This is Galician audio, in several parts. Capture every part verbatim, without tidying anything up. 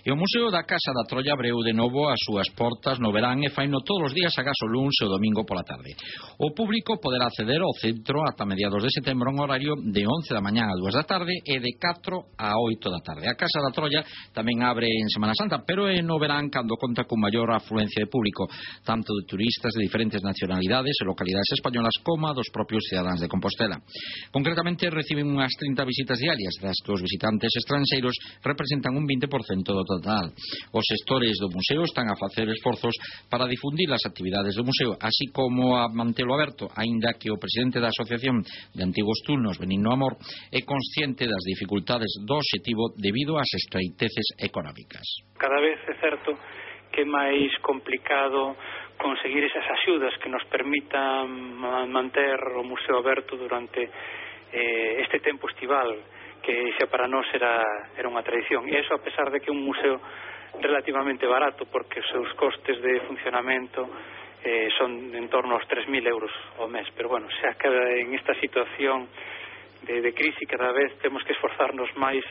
E o Museo da Casa da Trolla abreu de novo as súas portas no verán e faino todos os días agás o luns e o domingo pola tarde. O público poderá acceder ao centro ata mediados de setembro en horario de once da mañá a dúas da tarde e de catro a oito da tarde. A Casa da Trolla tamén abre en Semana Santa, pero é no verán cando conta con maior afluencia de público, tanto de turistas de diferentes nacionalidades e localidades españolas como dos propios cidadáns de Compostela. Concretamente reciben unhas trinta visitas diarias, das que os visitantes estranxeiros representan un vinte por cento do total. Os xestores do museo están a facer esforzos para difundir as actividades do museo, así como a mantelo aberto, aínda que o presidente da Asociación de Antigos Turnos, Benigno Amor, é consciente das dificultades do obxectivo debido ás estreiteces económicas. Cada vez é certo que é máis complicado conseguir esas axudas que nos permitan manter o museo aberto durante eh, este tempo estival, que xa para nós era, era unha tradición. E iso a pesar de que é un museo relativamente barato, porque os seus costes de funcionamento eh, son en torno aos tres mil euros ao mes. Pero bueno, xa que en esta situación de, de crise cada vez temos que esforzarnos máis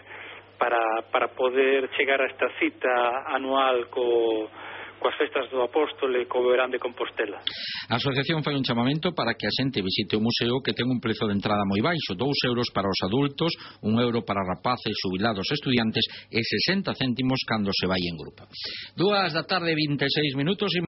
para, para poder chegar a esta cita anual co coas festas do Apóstol e co verán de Compostela. A asociación fai un chamamento para que a xente visite o museo, que ten un prezo de entrada moi baixo, dous euros para os adultos, un euro para rapaces, xubilados e estudiantes e sesenta céntimos cando se vai en grupo. Dúas da tarde, vinte e seis minutos.